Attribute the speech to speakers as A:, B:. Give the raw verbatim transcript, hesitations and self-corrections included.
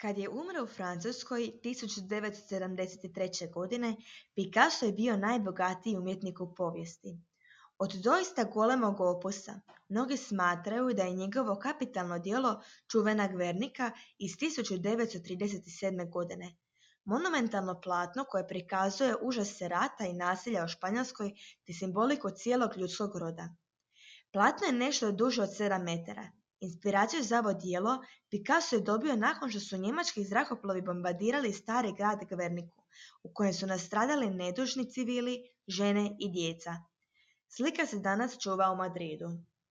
A: Kad je umro u Francuskoj tisuću devetsto sedamdeset treće. godine, Picasso je bio najbogatiji umjetnik u povijesti. Od doista golemog opusa, mnogi smatraju da je njegovo kapitalno djelo Čuvena Gvernika iz tisuću devetsto trideset sedme. godine. Monumentalno platno koje prikazuje užase rata i nasilja u Španjolskoj te simboliku cijelog ljudskog roda. Platno je nešto duže od sedam metara. Inspiraciju za ovo djelo Picasso je dobio nakon što su njemački zrakoplovi bombardirali stari grad Gverniku, u kojem su nastradali nedužni civili, žene i djeca. Slika se danas čuva u Madridu.